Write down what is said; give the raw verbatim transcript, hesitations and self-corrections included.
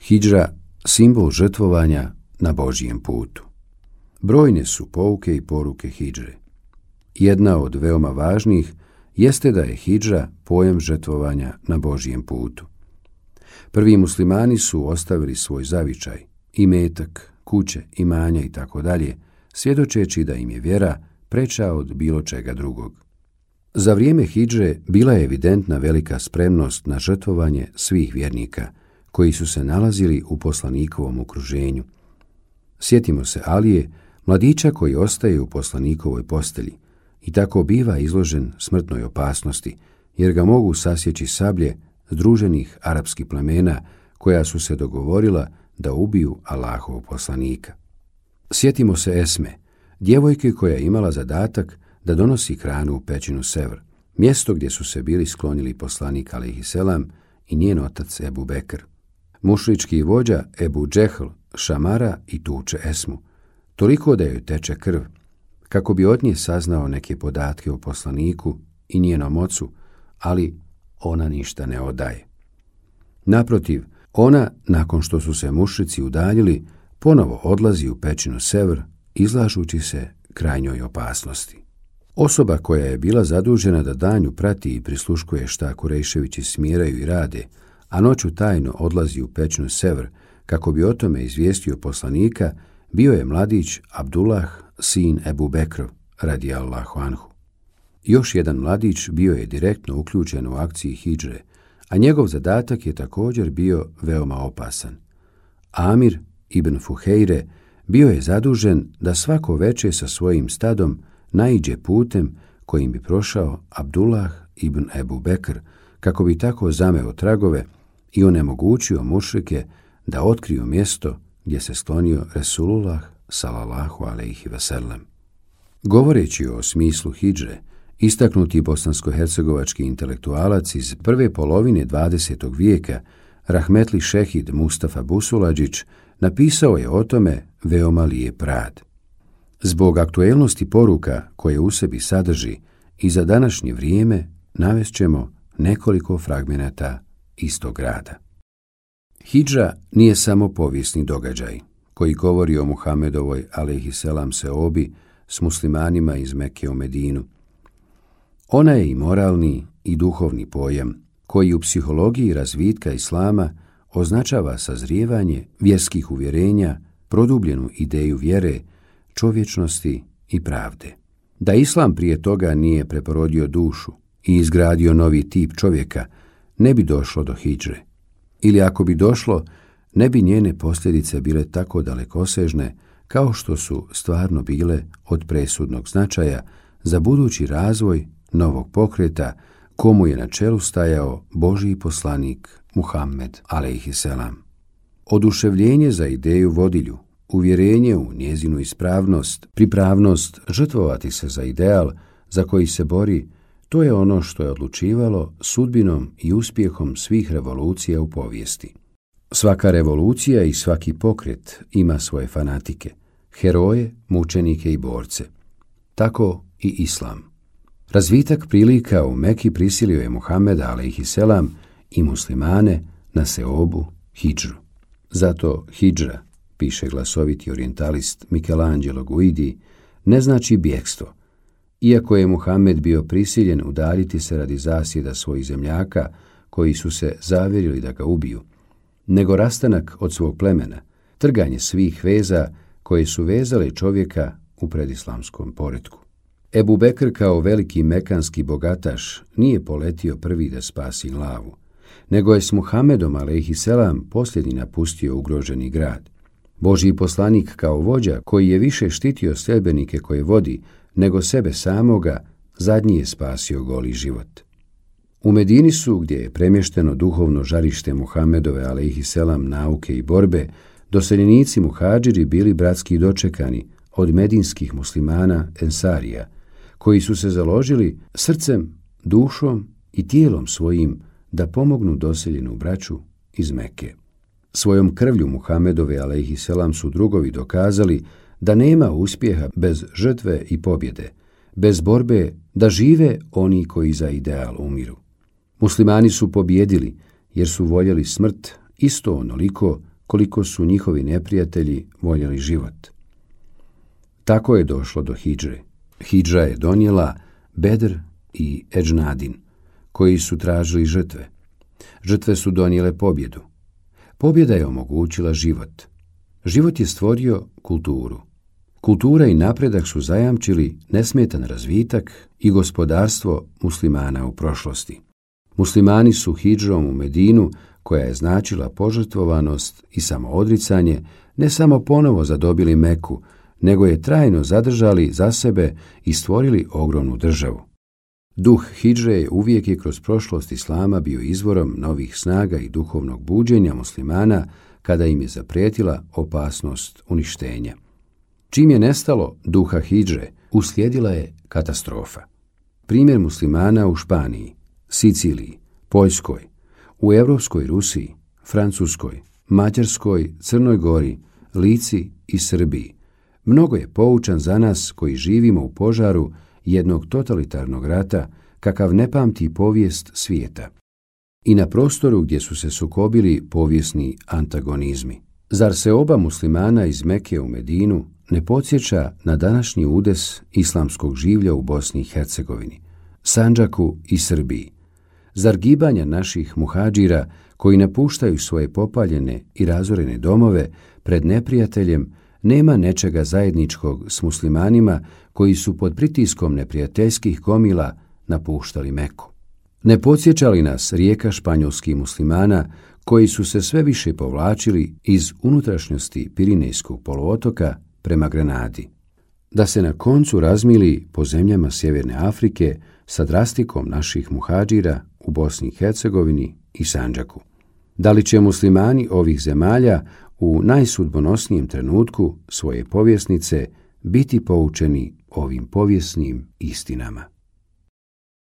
Hidžra, simbol žrtvovanja na Božjem putu. Brojne su pouke i poruke hidžre. Jedna od veoma važnih jeste da je hidžra pojam žrtvovanja na Božjem putu. Prvi muslimani su ostavili svoj zavičaj, imetak, kuće, imanja i tako dalje, svjedočeći da im je vjera preča od bilo čega drugog. Za vrijeme hidže bila je evidentna velika spremnost na žrtvovanje svih vjernika, koji su se nalazili u poslanikovom okruženju. Sjetimo se Alije, mladića koji ostaje u poslanikovoj postelji i tako biva izložen smrtnoj opasnosti, jer ga mogu sasjeći sablje združenih arapskih plemena koja su se dogovorila da ubiju Allahovog poslanika. Sjetimo se Esme, djevojke koja je imala zadatak da donosi hranu u pećinu Sevr, mjesto gdje su se bili sklonili poslanik alejhiselam i njen otac Ebu Bekr. Mušrički vođa Ebu Džehl šamara i tuče Esmu, toliko da joj teče krv, kako bi od nje saznao neke podatke o poslaniku i njenom ocu, ali ona ništa ne odaje. Naprotiv, ona, nakon što su se mušrici udaljili, ponovo odlazi u pećinu Sevr, izlažući se krajnjoj opasnosti. Osoba koja je bila zadužena da danju prati i prisluškuje šta Kurejševići smiraju i rade, a noću tajno odlazi u pećinu Sevr kako bi o tome izvijestio poslanika, bio je mladić Abdullah, sin Ebu Bekrov, radijallahu anhu. Još jedan mladić bio je direktno uključen u akciji hidžre, a njegov zadatak je također bio veoma opasan. Amir ibn Fuhejre bio je zadužen da svako veče sa svojim stadom naiđe putem kojim bi prošao Abdullah ibn Ebu Bekr, kako bi tako zameo tragove i onemogućio mušrike da otkriju mjesto gdje se sklonio Resulullah sallallahu alejhi ve sellem. Govoreći o smislu hidžre, istaknuti bosansko-hercegovački intelektualac iz prve polovine dvadesetog vijeka, rahmetli šehid Mustafa Busuladžić, napisao je o tome veoma lijep rad. Zbog aktuelnosti poruka koje u sebi sadrži i za današnje vrijeme navest ćemo nekoliko fragmenata istog rada. Hidža nije samo povijesni događaj koji govori o Muhamedovoj alejhiselam seobi s muslimanima iz Mekke u Medinu. Ona je i moralni i duhovni pojam koji u psihologiji razvitka islama označava sazrijevanje vjerskih uvjerenja, produbljenu ideju vjere, čovječnosti i pravde. Da islam prije toga nije preporodio dušu i izgradio novi tip čovjeka, ne bi došlo do hidžre. Ili ako bi došlo, ne bi njene posljedice bile tako dalekosežne kao što su stvarno bile od presudnog značaja za budući razvoj novog pokreta komu je na čelu stajao Božji poslanik Muhammed alejhiselam. Oduševljenje za ideju vodilju, uvjerenje u njezinu ispravnost, pripravnost žrtvovati se za ideal za koji se bori, to je ono što je odlučivalo sudbinom i uspjehom svih revolucija u povijesti. Svaka revolucija i svaki pokret ima svoje fanatike, heroje, mučenike i borce. Tako i islam. Razvitak prilika u Meki prisilio je Muhammeda alejhiselam i muslimane na seobu hidžru. Zato hidžra, piše glasoviti orijentalist Michelangelo Guidi, ne znači bjegstvo. Iako je Muhammed bio prisiljen udaljiti se radi zasjeda svojih zemljaka koji su se zavjerili da ga ubiju, nego rastanak od svog plemena, trganje svih veza koje su vezale čovjeka u predislamskom poretku. Ebu Bekr kao veliki mekanski bogataš nije poletio prvi da spasi glavu, nego je s Muhammedom alejhiselam posljednji napustio ugroženi grad. Božji poslanik kao vođa koji je više štitio sljedbenike koje vodi nego sebe samoga, zadnji je spasio goli život. U Medini su, gdje je premješteno duhovno žarište Muhammedove alejhiselam nauke i borbe, doseljenici muhadžiri bili bratski dočekani od medinskih muslimana ensarija, koji su se založili srcem, dušom i tijelom svojim da pomognu doseljenu braću iz Mekke. Svojom krvlju Muhammedove alejhiselam su drugovi dokazali da nema uspjeha bez žrtve i pobjede, bez borbe da žive oni koji za ideal umiru. Muslimani su pobjedili jer su voljeli smrt isto onoliko koliko su njihovi neprijatelji voljeli život. Tako je došlo do hidžre. Hidža je donijela Bedr i Edžnadin, koji su tražili žrtve. Žrtve su donijele pobjedu. Pobjeda je omogućila život. Život je stvorio kulturu. Kultura i napredak su zajamčili nesmetan razvitak i gospodarstvo muslimana u prošlosti. Muslimani su hidžom u Medinu, koja je značila požrtvovanost i samoodricanje, ne samo ponovo zadobili Meku, nego je trajno zadržali za sebe i stvorili ogromnu državu. Duh hidžre uvijek je kroz prošlost islama bio izvorom novih snaga i duhovnog buđenja muslimana kada im je zaprijetila opasnost uništenja. Čim je nestalo duha hidžre, uslijedila je katastrofa. Primjer muslimana u Španiji, Siciliji, Poljskoj, u Europskoj Rusiji, Francuskoj, Mađarskoj, Crnoj Gori, Lici i Srbiji mnogo je poučan za nas koji živimo u požaru jednog totalitarnog rata kakav ne pamti povijest svijeta i na prostoru gdje su se sukobili povijesni antagonizmi. Zar se oba muslimana iz Meke u Medinu ne podsjeća na današnji udes islamskog življa u Bosni i Hercegovini, Sandžaku i Srbiji? Zar gibanja naših muhadžira koji napuštaju svoje popaljene i razorene domove pred neprijateljem nema nečega zajedničkog s muslimanima koji su pod pritiskom neprijateljskih gomila napuštali Meku? Ne podsjeća li nas rijeka španjolskih muslimana koji su se sve više povlačili iz unutrašnjosti Pirinejskog poluotoka prema Granadi, da se na koncu razmili po zemljama Sjeverne Afrike sa drastikom naših muhadžira u Bosni i Hercegovini i Sandžaku? Da li će muslimani ovih zemalja u najsudbonosnijem trenutku svoje povjesnice biti poučeni ovim povijesnim istinama?